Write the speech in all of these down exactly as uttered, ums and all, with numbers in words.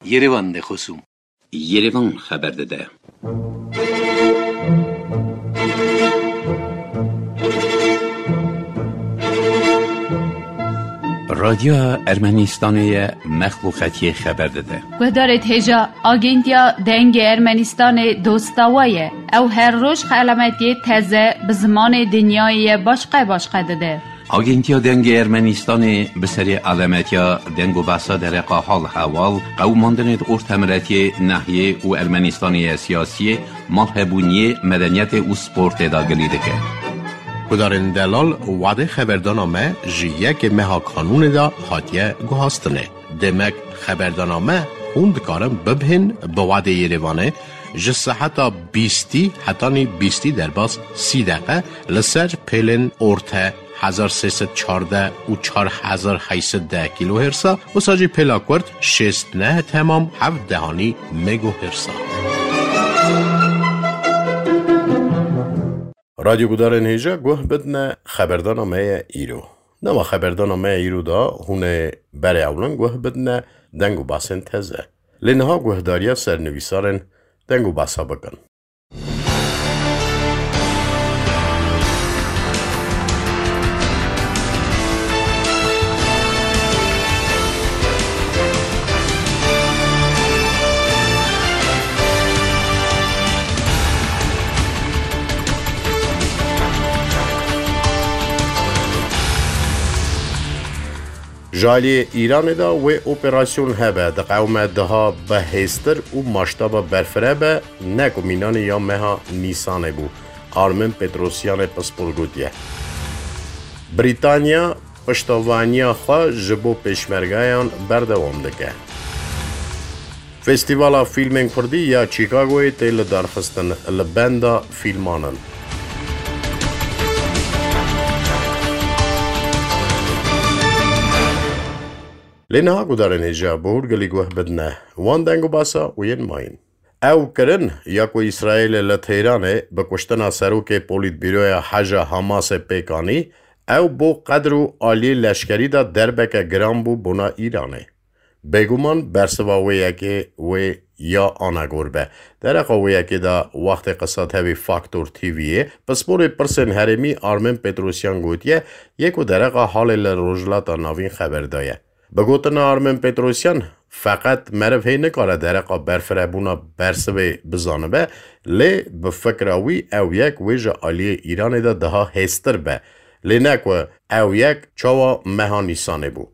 Yerevan de xosûm. Yerevan xeber dide. Radyoya Ermenistanê ye, mexluqetiyê xeber dide. Guhdarêt hêja, Agentiya Dengê Ermenistanê dosta we ye. Ew her roj xelametiyê teze bi zimanê dinyayê ye başqe başqe dide. Agentiya Dengê Ermenistanê bi serê alemetiya deng û behsa dereqa hal hewal, qewimandinê di ortemiretiyê, nehiyê û Ermenistanê ye siyasiyê, malhebûniyê, medeniyetê û sportê de gilî dike. Gudarên delal, wadê xeberdana me ji yekê meha kanûnê de hatiye guhastinê. Demek xeberdana me hûn dikarin bibihên bi wadê Yerevanê ji seheta bîstî hetanî bîstî derbas sî deqe li ser pêlên orte hezar sê sed çardeh û çar hezar heyt sed deh kîlohêrsa, wisa jî pêla kurt şêst neh temam heft dehanî megohêrsa. Radyo gudarên hêja guh bidine xeberdana me ye îro. Nava xeberdana me ye îro de hûn ê berê ewlin guh bidine deng û basên teze. Lê niha guhdariya sernivîsarên deng û basa bikin. Ji aliyê Îranê de wê operasyon hebe, diqewime daha bi hêztir û maştaba berfireh be, ne ku mînanê ya meha Nîsanê bû, Armin Petrosyanê pispor gotiye. Brîtanya piştevaniya xwe ji bo pêşmergeyan berdewam dike. Festîvala Fîlmên Kurdî ya Chicagoyê tê lidarxistin, li benda fîlman in. Lê niha gudarên hêja bi hûrgilî guh bidine wan deng û basa û yên mayîn. Ew kirin ya ku Îsraîlê li Tehranê bi kuştina serokê Polîtbîroya Heja Hamasê pêk anî, ew bo qedr û aliyê leşkerî de derbeke giran bû bona Îranê. Bêguman bersiva wê yekê wê ya anagor be. Dereqa wê yekê de wextê qisa tevî Faktor T V'yê, pisporê pirsên herêmî Armin Petrosyan gotiye, yê ku dereqa halê li Rojhilata Navîn xeber daye. Bi gotina Armin Petrosyan, feqet meriv hê nikare dereqa berfirebûna bersivê bizanibe, lê bi fikra wî ew yek wê ji aliyê Îranê de daha hêztir be. Lê ne ku ew yek çawa meha Nîsanê bû.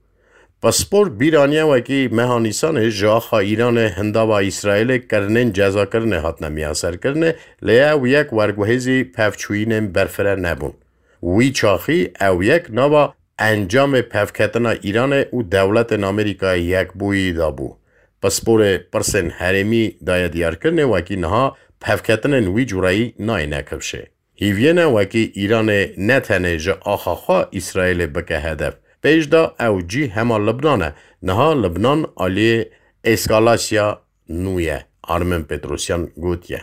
Pispor bîr aniye wekî meha Nîsanê ji axa Îranê hindava Îsraîlê kirinên cezakirinê hatine miyaserkirinê, lê ew yek werguhêzî pevçûyînên berfireh nebûn. Wî çaxî ew yek nava encamê pevketina Îranê û dewletên Amerîkayê Yekbûyî de bû. Pisporê pirsên herêmî daye diyarkirinê wekî niha pevketinên wî cureyî nayêne kifşê. Hîviyê ne wekî Îranê ne tenê ji axa xwe Îsraîlê bike hedef. Pêş de ew cî hema Libnan e. Niha Libnan aliyê eskalasya nû ye, Armin Petrosyan gotiye.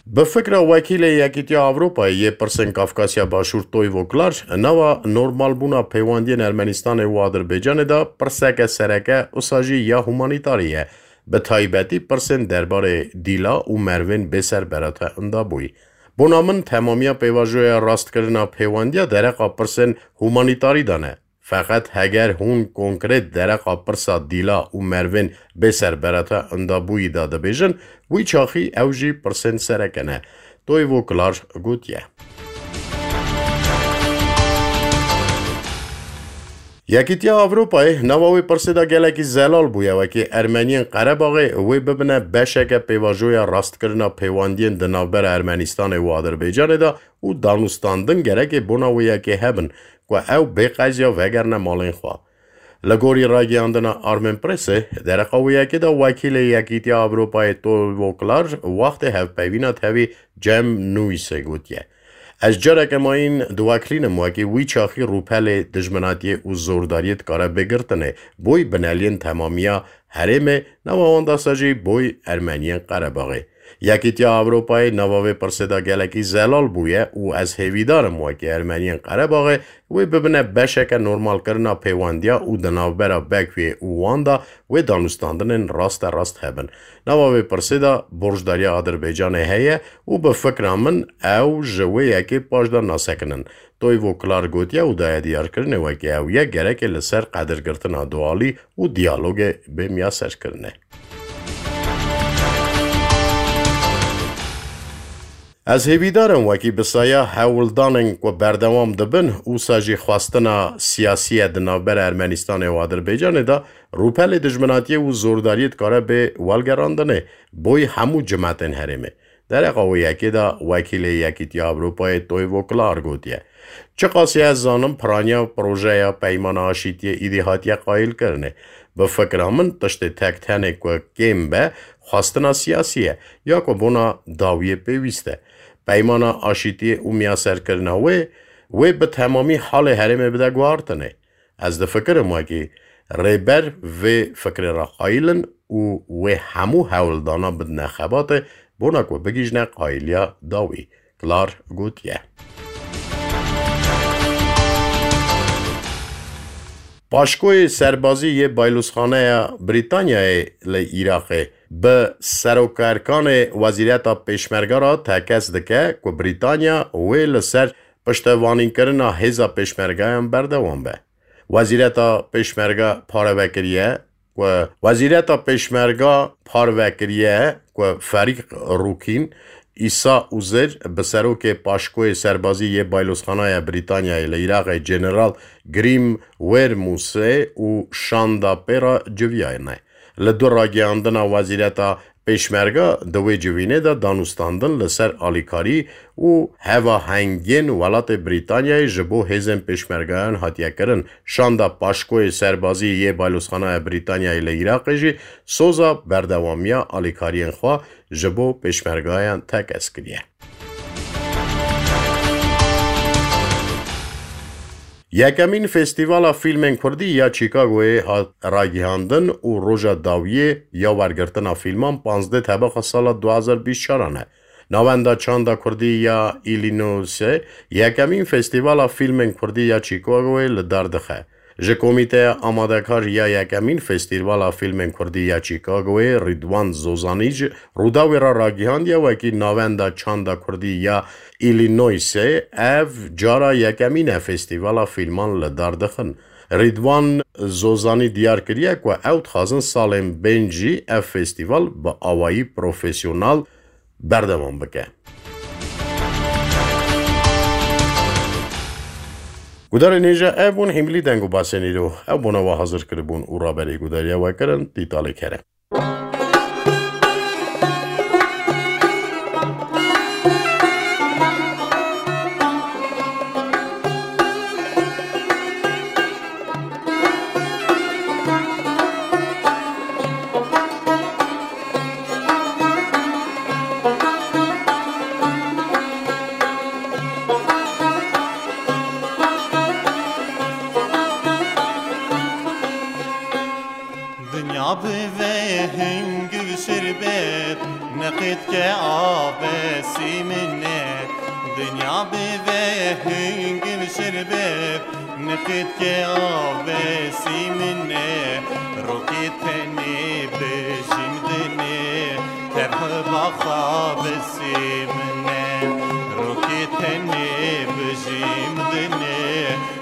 Bi fikra wekîlê Yekîtiya Ewropayê yê pirsên Kafkasya Başûr Toyvo Klar, nava normalbûna pêwendiyên Ermenistanê û Adirbaycanê de pirseke sereke, wisa jî ya humanîtarî ye. Bi taybetî pirsên derbarê dîla û merivên bêserberate indabûyî. Bona min temamiya pêvajoya rastkirina pêwendiya dereqa pirsên humanîtarî de ne. Feqet heger hûn konkret dereqa pirsa dîla û merivên bêserberate indabûyî de dibêjin, wî çaxî ew jî pirsên sereke ne. Toyvo Klar gotiye. Yekîtiya Ewropayê nava wê pirsê de gelekî zelal bûye, wekî Ermeniyên Qerebaxê wê bibine beşeke pêvajoya rastkirina pêwendiyên di navbera Ermenistanê û Adirbaycanê de û danûstandin gerekê bona wê yekê hebin ku ew bê qeziya vegerine malên xwe. Li gorî ragihandina Armen Pressê, dereqa wê yekê de wekîlê Yekîtiya Ewropayê Toyvo Klar wextê hevpeyvîna tevî Cem Nûîsê gotiye, Ez careke mayîn diweklînim wekî wî çaxî rûpelê dijminatiyê û zordariyê dikare bê girtinê, boy bineliyên temamiya herêmê, nava wan de jî boy Ermeniyên Qerebaxê. Yekîtiya Ewropayê nava vê pirsê de gelekî zelal bûye û ez hêvîdar im wekî Ermeniyên Qerebaxê wê bibine beşeke normalkirina pêwendiya û di navbera Bekuyê û wan de wê danûstandinên raste rast hebin. Nava vê pirsê de borcdariya Adirbaycanê heye û bi fikra min ew ji wê yekê paş de nasekinin. Toivo Klar gotiye û daye diyarkirinê wekî ew ye, gerekê li ser qedirgirtina dualî û diyalogê bê miyaserkirinê. Ez hêvîdar im wekî bi saya hewldanên ku berdewam dibin, wisa jî xwestina siyasî ye di navbera Ermenistanê û Adirbaycanê de rûpelê dijminatiyê û zordariyê dikare bê welgerandinê boyî hemû cimetên herêmê. Dereqa wê yekê de wekîlê Yekîtiya Ewropayê Toivo Klar gotiye, Çiqasî ez zanim piraniya projeya Peymana Aşîtiyê îdî hatiye qayîlkirinê. Bi fikra min tiştê tek tenê ku kêm be, xwestina siyasî ye, ya ku bona dawiyê pêwîst e. Peymana Aşîtiyê û miyaserkirina wê, wê bi temamî halê herêmê bide guhartinê. Ez difikirim wekî rêber vê fikrê re qayîl in û wê hemû hewldana bidine xebatê bona ku bigihîjine qayîliya dawî, Klar gotiye. Paşkoyê serbazî yê Baylûzxaneya Brîtanyayê li Iraqê bi serokerkanê Wezîreta Pêşmerga re tekez dike ku Brîtanya wê li ser piştevanînkirina hêza Pêşmergayan berdewam be. Wezîreta Pêşmerga parve kiriye ku Wezîreta Pêşmerga parve kiriye ku Ferîq Rûkîn Îsa Uzir bi serokê Paşkoyê Serbazî yê Baylûzxanaya Brîtanyayê li Iraqê General Grim Wermusê û şanda pê re civiyayne. Li du ragihandina Wezîreta Pêşmerga di wê civînê de danûstandin li ser alîkarî û hevahengiyên welatê Brîtanyayê ji bo hêzên pêşmergayan hatiye kirin. Şanda Paşkoyê Serbazî yê Baylûzxanaya Brîtanyayê li Iraqê jî soza berdewamiya alîkariyên xwe ji bo pêşmergayan tekez kiriye. Yekemîn Festîvala Fîlmên Kurdî ya Chicagoyê hat ragihandin û roja dawiyê ya wergirtina fîlman panzdeh tebaxa sala du hazar bîst çaran e. Navenda Çanda Kurdî ya Illinoisê yekemîn Festîvala Fîlmên Kurdî ya Chicagoyê li dar dixe. Ji Komîteya Amadekar ya yekemîn Festîvala Fîlmên Kurdî ya Chicagoyê Rîdwan Zozanî ji Rûdawê re ragihandiye wekî Navenda Çanda Kurdî ya Illinoisê ev cara yekemîn e festîvala fîlman li dar dixin. Rîdwan Zozanî diyar kiriye ku ew dixwazin salên bên jî ev festîval bi awayî profesyonel berdewam bike. Gudarên hêja, ev bûn hîmilî deng û basên îro. Ew bona we hazir kiribûn û raberî gudariya we kirin, Tîtalê Kerem. Dinya bibe hingî şerbet, neqît ke abesî min e. Dinya bibe hingî şerbet, neqît ke abesî min e. Rokê tenê bijîm dinê, tev baxa besî min e. Rokê tenê bijîm dinê,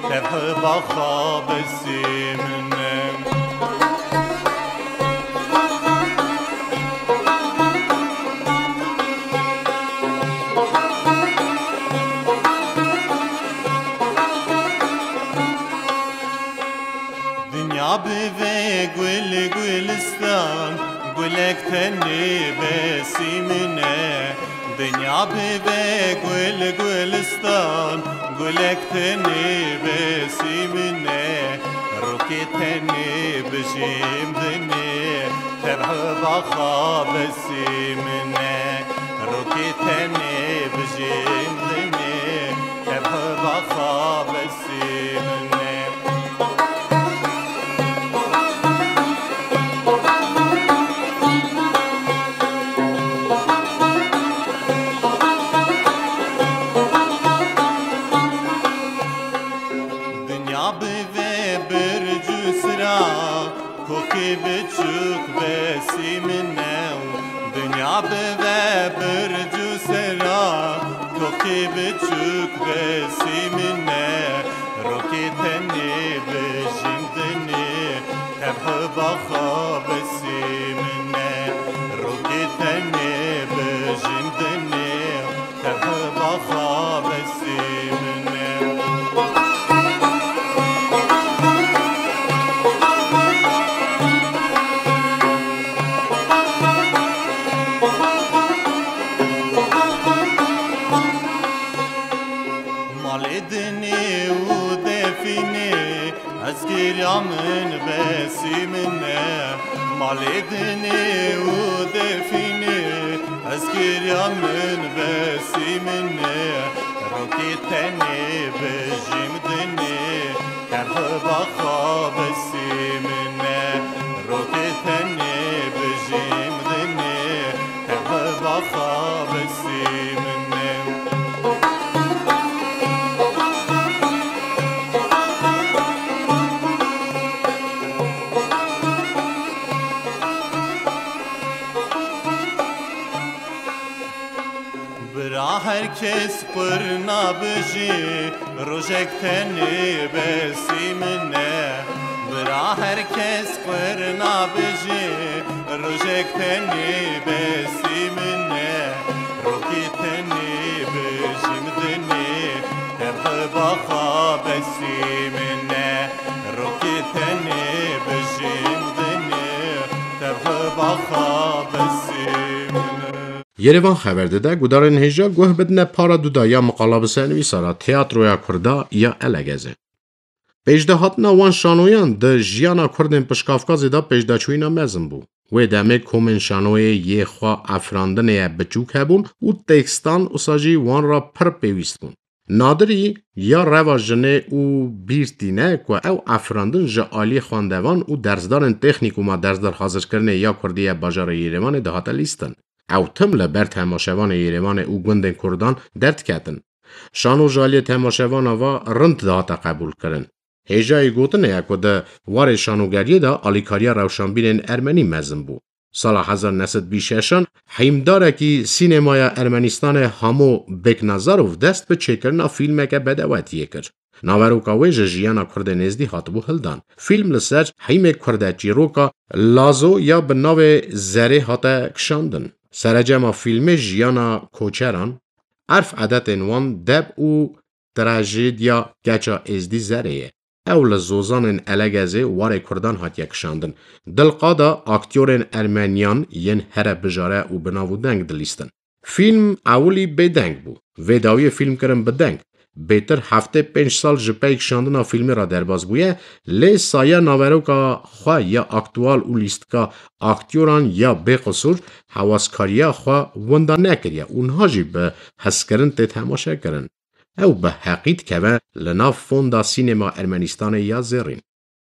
tev baxa besî min e. Dinya bibe gul gulistan, gulek tenê besî min e. Dinya bibe gul gulistan, gulek tenê besî min e. Rokê tenê bijîm dinê, tev baxa besî min e. Rokê tenê bijîm dinê, tev baxa besî min e. Besî min e, rokê tenê bijîm dinê, tevhiba xwe besî min e, rokê tenê bijîm dinê, tevhiba xwe besî min e. Malê dinê û defînê, ez kiriya min besî min e. Malê dinê û defînê, ez kiriya min besî min e. Rokê tenê bijîm dinê, tevhiba xwe besî min e. Rokê tenê bijîm dinê, tevhiba xwe besî min e. Bira her kes qurna bijî, rojek tenê besî min e. Bira her kes qurna bijî, rojek tenê besî min e. Rokê tenê bijîm dinê, tevhiba xwe besî min e. Rokê tenê bijîm dinê, tevhiba xwe besî min e. Yerevan xeber dide, gudarên hêja guh bidine para duda ya miqala bisenivîsara teatroya Kurda ya Elegezê. Pêşdahatina wan şanoyan di jiyana Kurdên Pişkafkazê de pêşdaçûyîna mezin bû. Wê demê komên şanoyê yê xwe efrandinê ye biçûk hebûn û tekstan wisa jî wan re pir pêwîst bûn. Nadirî ya reva jinê û bîr tîne ku ew efrandin ji aliyê xwendevan û dersdarên texnîkûma dersdarhazirkirinê ya Kurdî ye bajarê Yêrêvanê dihate lîstin. Ew tim li ber temaşevanê Yêrêvanê û gundên Kurdan derdiketin. Şano ji aliyê temaşevana ve rind dihate qebûlkirin. Hêjayî gotinê ye ku di warê şanogeriyê de alîkariya rewşanbîrên ermenî mezin bû. Sala hezar neh sed bîst şeşan hîmdarekî sînemaya Ermenîstanê Hamo Beknazarov dest bi çêkirina fîlmeke bedewetiyê kir. Naveroka wê ji jiyana Kurdê nêzdî hatibû hildan. Fîlm li ser hîmê Kurde çîroka Lazo ya bi navê Zerê hate kişandin. Serecema fîlmê jiyana koçeran, erf edetên wan, deb û trajediya keça êzdî Zerê ye. Ew li zozanên Elegezê warê Kurdan hatiye kişandin. Di li qada aktyorên ermeniyan yên here bijare û bi nav û deng dilîstin. Fîlm ewilî bêdeng bû. Vê dawiyê fîlm kirin bi deng. Bêtir heftê pênc sal ji pey kişandina fîlmê re derbas bûye, lê saya naveroka xwe ya aktual û lîstika aktyoran ya bêqisûr hewaskariya xwe winda nekiriye û niha jî bi hezkirin tê temaşekirin. Ew bi heqî dikeve li nav fonda sînema Ermenîstanê ya zêrîn.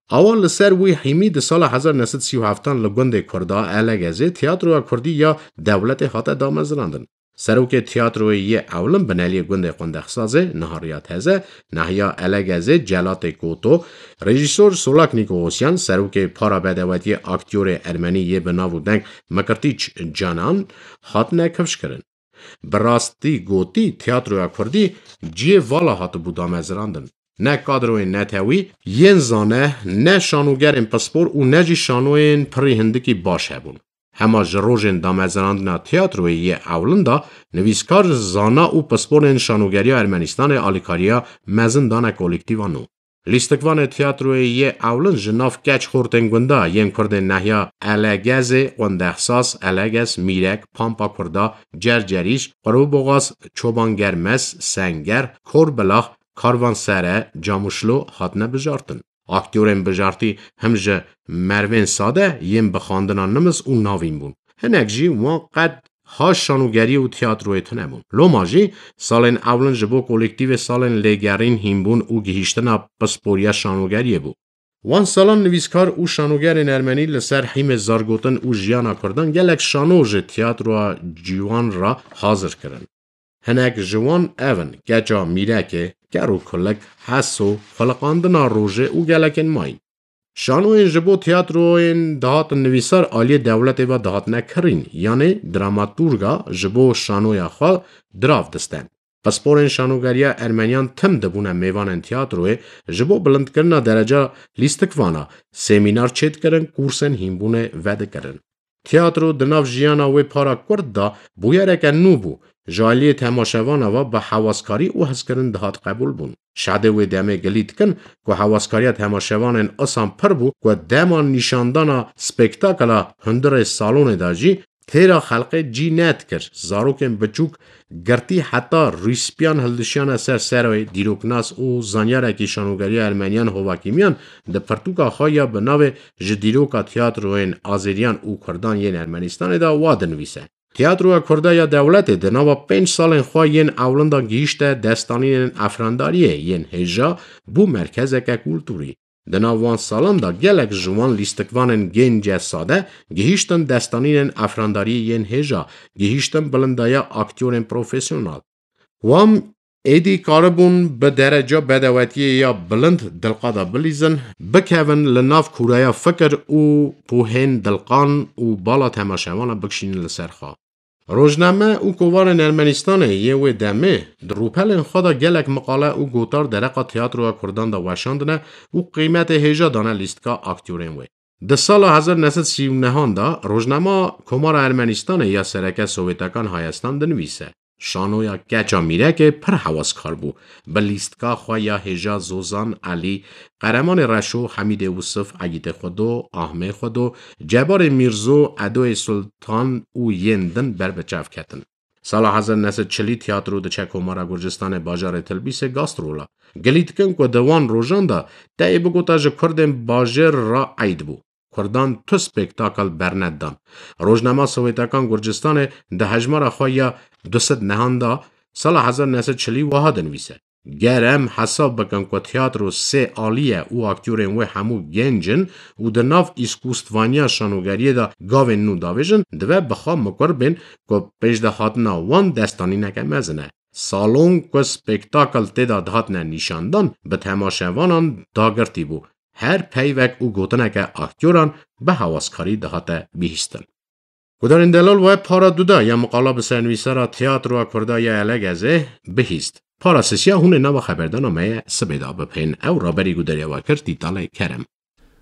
Awa li ser wî hîmî di sala hezar neh sed sî û heftan li gundê Kurda Elegezê Tiyatroya Kurdî ya Dewletê hate damezrandin. Serokê Tiyatroyê yê ewlin bineliyê gundê Qundexsazê niha riya teze, nahiya Elegezê Celatê Koto, rejîsor Solak Nîkogosyan, serokê Para Bedewetiyê aktyorê ermenî yê bi nav û deng Mikirtîç Canan hatine kifşkirin. Bi rastî gotî, tiyatroya kurdî cihê vala hatibû damezrandin. Ne kadroyên netewî yên zane, ne şanogerên pispor û ne jî şanoyên pirî hindikî baş hebûn. Hema ji rojên damezrandina tiyatroyê yê ewlin de nivîskar, zana û pisporên şanogeriya Ermenîstanê alîkariya mezin dane kolîktîva nû. Lîstikvanê tiyatroyê yê ewlin ji nav keç xortên gunda yên kurdên nehiya Elegezê, Qundexsaz, Elegez, Mîrek, Pampa Kurda, Cercerîş, Qurûboxaz, Çoban Germes, Senger, Korbilax, Karvansere, Camuşlo hatine bijartin. Aktyorên bijartî him ji mervên sade yên bi xandina nimis û navîn bûn. Hinek jî wan qet ha şanogeriyê û tiyatroyê tune bûn. Loma jî salên ewlin ji bo kolîktîvê salên lêgerîn hînbûn û gihîştina pisporiya şanogeriyê bû. Wan salan nivîskar û şanogerên ermenî li ser hîmê zargotin û jiyana kurdan gelek şano ji tiyatroya ciwan re hazir kirin. Hinek ji wan ev in: Keça Mîrekê, Ker û Kulik, Heso, Xuliqandina Rojê û gelekên mayî. Şanoyên ji bo tiyatroyên dihatin nivîsar aliyê dewletê ve dihatine kirîn, yanê dramaturga ji bo şanoya xwe dirav disten. Pisporên şanogeriya Ermeniyan tim dibûne mêvanên tiyatroyê, ji bo bilindkirina dereca lîstikvana, semînar çêdikirin, kursên hînbûnê vedikirin. Tiyatro di nav jiyana wê para kurt de bûyereke nû bû. Ji aliyê temaşevana ve bi hewaskarî û hezkirin dihat qebûlbûn. Şadê wê demê gilî dikin ku hewaskariya temaşevanên isan pir bû ku dema nîşandana spektakla hundirê salonê de jî têra xelqê cî nedikir. Zarokên biçûk girtî heta rîspiyan hildişiyane ser serê dîroknas û zanyarekî şanogeriya Ermeniyan Hovakîmiyan di pirtûka xwe ya bi navê Ji dîroka tiyatroyên Azeriyan û Kurdan yên Ermenistanê de wa dinivîse: Tiyatroya Kurda ya dewletê di nava pênc salên xwe yên ewlin de gihîşte destanînên efrandariyê yên hêja bû merkezeke kulturî. Di nav wan salan de gelek ji wan lîstikvanên gênce sade gihîştin destanînên efrandariyê yên hêja, gihîştin bilindaya aktyorên profesyonel. Wan êdî karibûn bi dereca bedewetiyê ya bilind dilqa de bilîzin, bikevin li nav kûreya fikir û pohên dilqan û bala temaşevana bikişînin li ser xwe. Rojname û kovarên Ermenistanê yê wê demê di rûpelên xwe de gelek miqale û gotar dereqa tiyatroya Kurdan de weşandine û qîmetê hêja dane lîstika aktyorên wê. Di sala hezar neh sed sî û nehan de rojnama Komara Ermenistanê ya sereke Sowêtekan Hayestan dinivîse: Şanoya keça Mîrekê pir hewaskar bû. Bi lîstika xwe ya hêja Zozan Elî, Qeremanê Reşo, Hemîdê Wisif, Egîtê Xwedo, Ahmê Xwedo, Cebarê Mîrzo, Edoyê Sultan û yên din ber bi çav ketin. Sala hezar neh sed çilî tiyatro diçe Komara Gurcistanê bajarê Tilbîsê gastrola. Gilî dikin ku di wan rojan de teyê bigota ji Kurdên bajêr re eyd bû. Kurdan tu spektakel bernedan. Rojnama Sowêtekan Gurcistanê di hejmara xwe ya du sed nehan de sala hezar neh sed çilî wiha dinivîse: Ger em hesab bikin ku tiyatro sê alî ye û aktyorên wê hemû genc in û di nav îskûstvaniya şanogeriyê de gavên nû davêjin, dibe bi xwe mikur bên ku pêşdehatina wan destanîneke mezin e. Salon ku spektakel tê de dihatine nîşandan, bi temaşevanan dagirtî bû. Her peyvek û gotineke aktyoran bi hewaskarî dihate bihîstin. Gudarên delal, we para duda ya miqala bi sernivîsara Tiyatroya Kurda ya Elegezê bihîst. Para sisiya hûn ê nava xeberdana me ye sibê de bipên. Ew raberî gudariya we kir Tîtalê Kerem.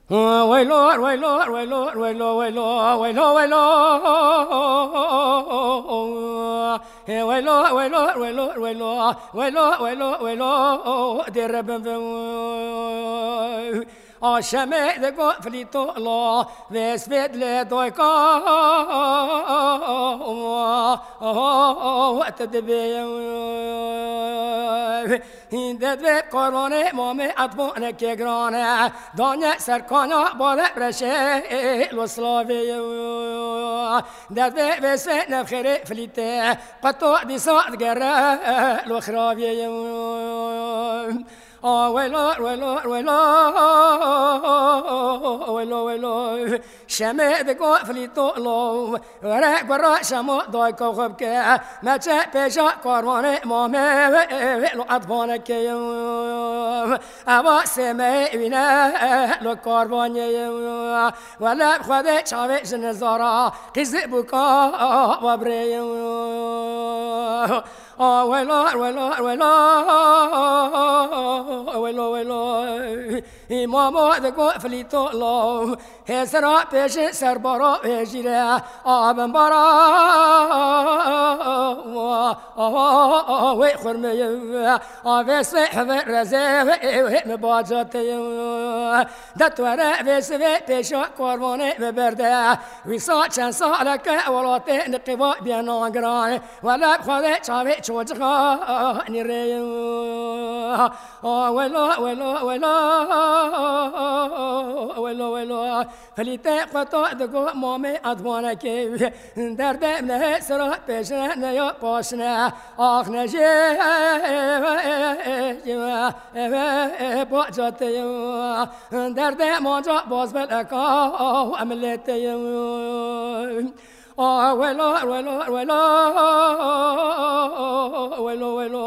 Weylo, weylo, weylo, weylo, weylo, weylo, weylo. Weylo, weylo, weylo, weylo, weylo, weylo, weylo, dê rebim vim. Aşemê de go flîto lo, vês vêt lê doyka, te dibê. Hîndet vê karvanê mamê etvanekê girane, danye serkana bale reşê lo slavê. Derdê vê sê nefxêrê flîtê, qeto dîsa digere lo xravê. A welo, welo, welo, welo, welo. Şemê digo flîto lo, were gura şemo dayka xwe bike. Meçe pêşa karvanê mamê wê, wê lo etvanekê. Eva sêmeyê wîne lo karvanê. Wele bi Xwedê çavê ji nizara qîzî bûka wa birê. A welo, welo, welo, welo, welo. Îmamo digo flîto lo, hêsira pêşin serbara wê jîre, a bin bara wê xurmeyê, a vê sê hevê rezê wê, wê mi bacateyê. De tu were vê sivê pêşa karvanê biberde. Wîsa çend saleke welatê niqîba bênan giran. Wele bi Xwedê çavê çoçixa nîrê. A welo, welo, welo, welo, welo. Flîtê xwe to digo mamê etvanekê. Derdê min hê sira pêşine ne ya paşine. Ax nejê bacatê. Derdê manca bazbeleka em lê tê. A welo, welo, welo, welo, welo.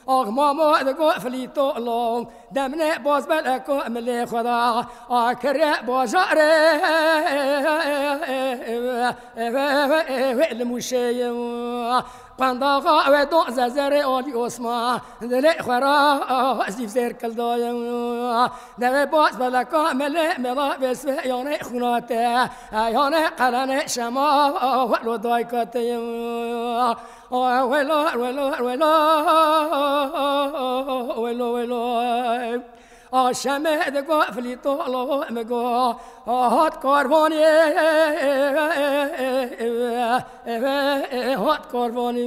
Ax mamo digo flîto lo, demne bazbeleko milê xwe da. A kire bajarê wê li mûşê. Qendaxa we do zezerê alî osma, dilê xwe ra zîv zêr kildaye. Devê baz beleka melê mela vêsve yanê xûnate, yanê qelenê şema welo dayka te. Welo, welo, welo, welo, welo. A şemê digo filîto lo mi go, a hat karvanê, hat karvanê.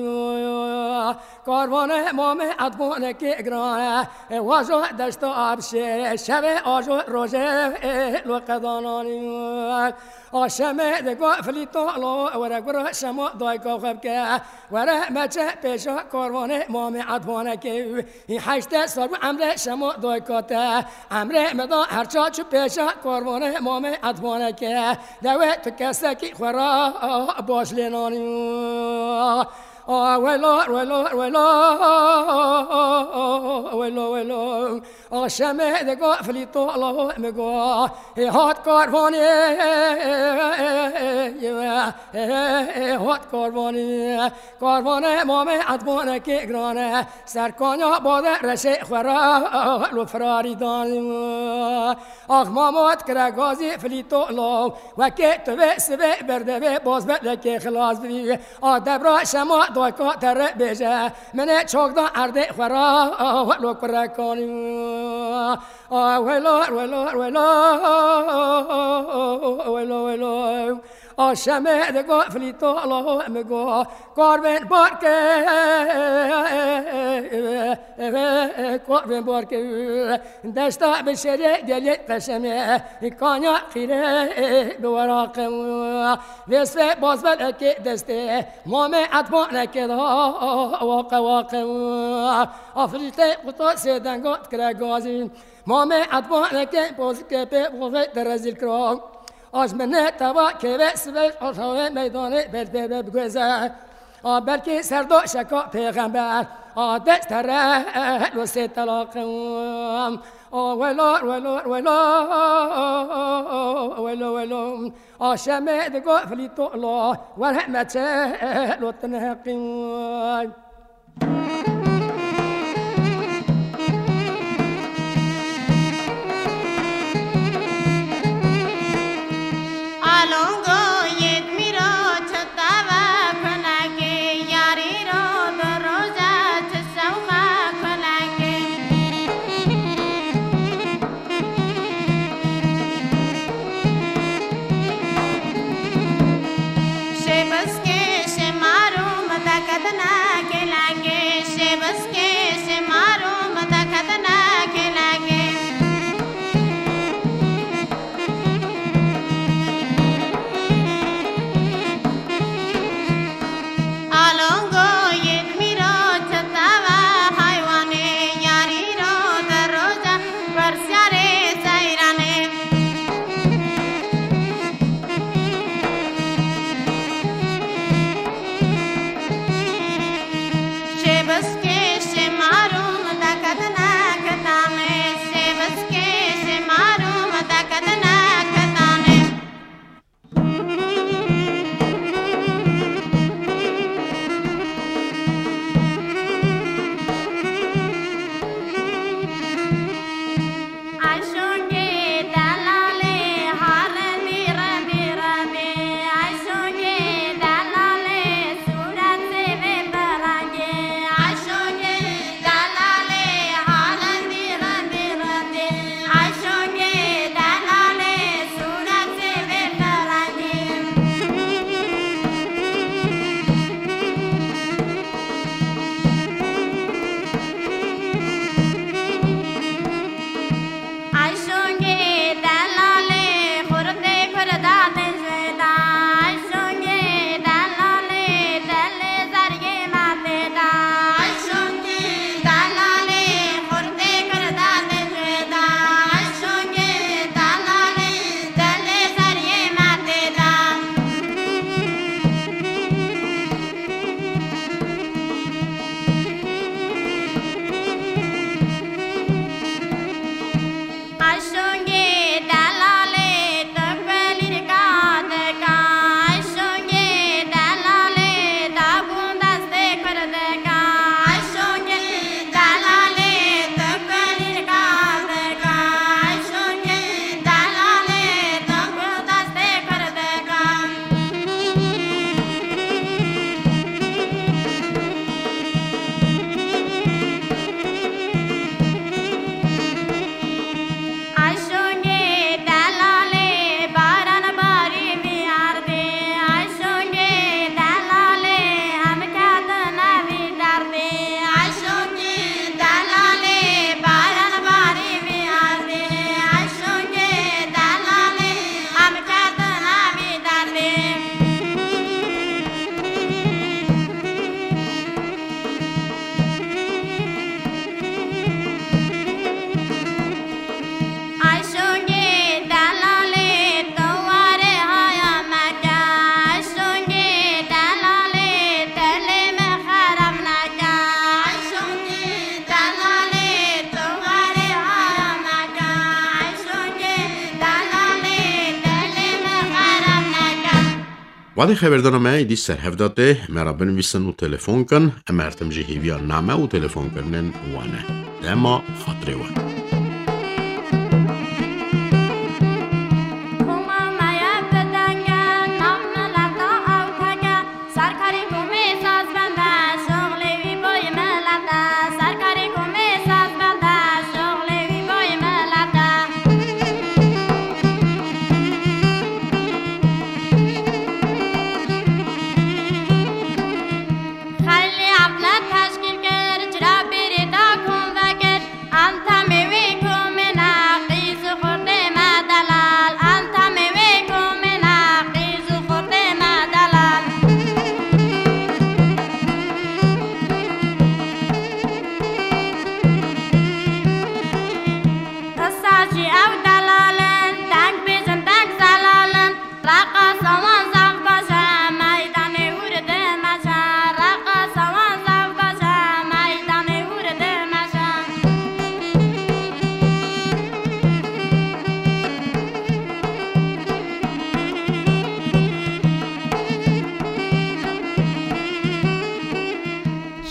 Karvanê mamê etbanekê giran e, wajo deşta abşê, şevê ajo rojê lo qedananî. A şemê digo filîto lo were gura şema dayka xwe bike, were meçe pêşa karvanê mamê etbanekê. Hî heştê sal bû emrê şema dayka te. Emrê me da her ça çû pêşa karvanê mamê etbanekê. Dewê tu kesekî xwe ra baş lê nanî. A welo, welo, welo, welo, welo. A şemê digo filîto lo mi go, hê hat karvanê, hê hat karvanê. Karvanê mamê etbanekê giran e, serkanya bade reşê xwe ra lo firarî dan. Ax mamo dikire gazî filîto lo, wekê tu vê sivê berdevê bozbelekê xilas bî. A debra şema dayka te re bêje, min ê çok da erdê xwe ra lo kurekanî. A welo, welo, welo, welo, welo. A şemê digo filîto lo mi go, karvên barke, karvên barke. Deşta bi şerê gelê qeşemê, kanya qîrê bi weraqe. Vêsvê bazbelekê destê, mamê etbanekê da waqe waqe. Afrîtê quta sê denga dikire gazî. Mamê etbanekê pozikê pê bozê te rezîl kira. Aj min ne teva kêvê sivê aşawê meydanê belbê be biguêze. A belkî serdo şeka pêxember. A dest tere lo sê telaqe. A welo, welo, welo, welo, welo. A şemê digo filîto lo, wer heme çe lo tineqî. Alongo yêt mîro çi tava kunekê, yarî ro di roja çi şewqa kunekê. Şê biskê, şê marû min deketine kêlekê, Wadê xeberdana me êdî ser hev de tê, me re binivîsin û telefon kin. Em her tim jî hêviya name û telefonkirinên we ne. Dema xatirê we. Koma me ye bi deng e, nav mileta ew tek e. Serkarê komê sazbend e, şoxlê wî boyê milet e. Serkarê komê sazbend e, şoxlê wî boyê milet e. Xeylê evle teşkîl kir, cira bêrê da kom vekir. Entemê wê komê ne, qîz û xortê me delal. Entemê wê komê ne, qîz û xortê me delal. Qisa jî ew delal in, deng bêjin, deng zelal in. Reqasa wan zaf baş e, meydanê wir dimeşe. Reqasa wan zaf baş e, meydanê wir dimeşe.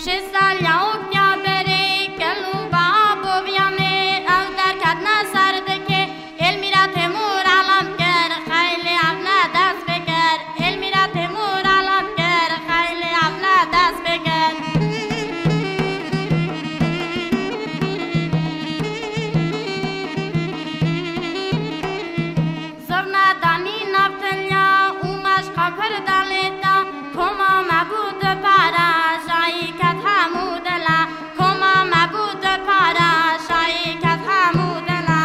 Şêst sal ya Oktyaberê, Kil û Babo Viyanê, ew derketine ser dikê. Elmîra Temûr alam kir, xeylê evle dest pê kir. Elmîra Temûr alam kir, xeylê evle dest pê kir. Zirne danî nav tiliya û meşqa Kurdan lê da. Koma me bû du para, şayî ket hemû dila. Koma me bû du para, şayî ket hemû dila.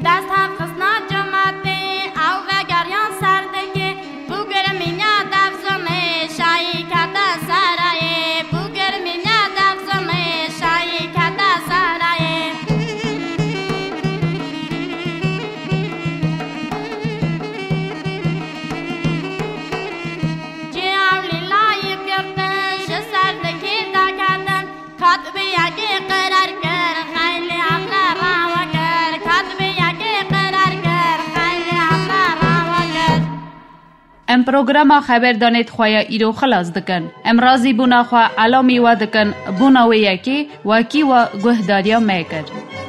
Dest hev xistna cimetê, ew vegeriyan ser dikê. Bû girmînya dev zonê, şayî kete serayê. Bû girmînya dev zonê, şayî kete serayê. Cê ew lîlayî girtin, ji ser dikê daketin. Katibê yekê qerar kir, xeylê evle rawa kir. Katibê yekê qerar kir, xeylê evle rawa kir. Em programa xeberdanê di xwe ya îro xilas dikin. Em razîbûna xwe elamî we dikin, bûna wê yekê wekî we guhdariya me kir.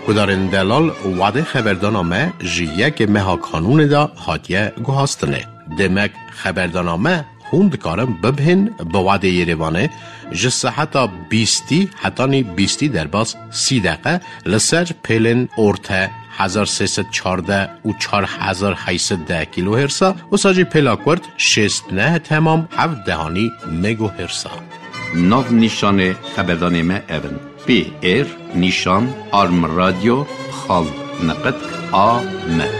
Guhdarên delal, wadê xeberdana me ji yekê meha Kanûnê de hatiye guhastinê. Demek xeberdana me hûn dikarin bibihên bi wadê Yerêvanê ji seheta bîstî hetanî bîstî derbas sî deqe li ser pêlên orte hezar sê sed çardeh û çar hezar heyt sed deh kîlohêrsa, wisa jî pêla kurt şêst neh temam heft dehanî megohêrsa. Nav nîşanê xeberdanê me ev in: P R nîşan arm radio xal niqitk a m.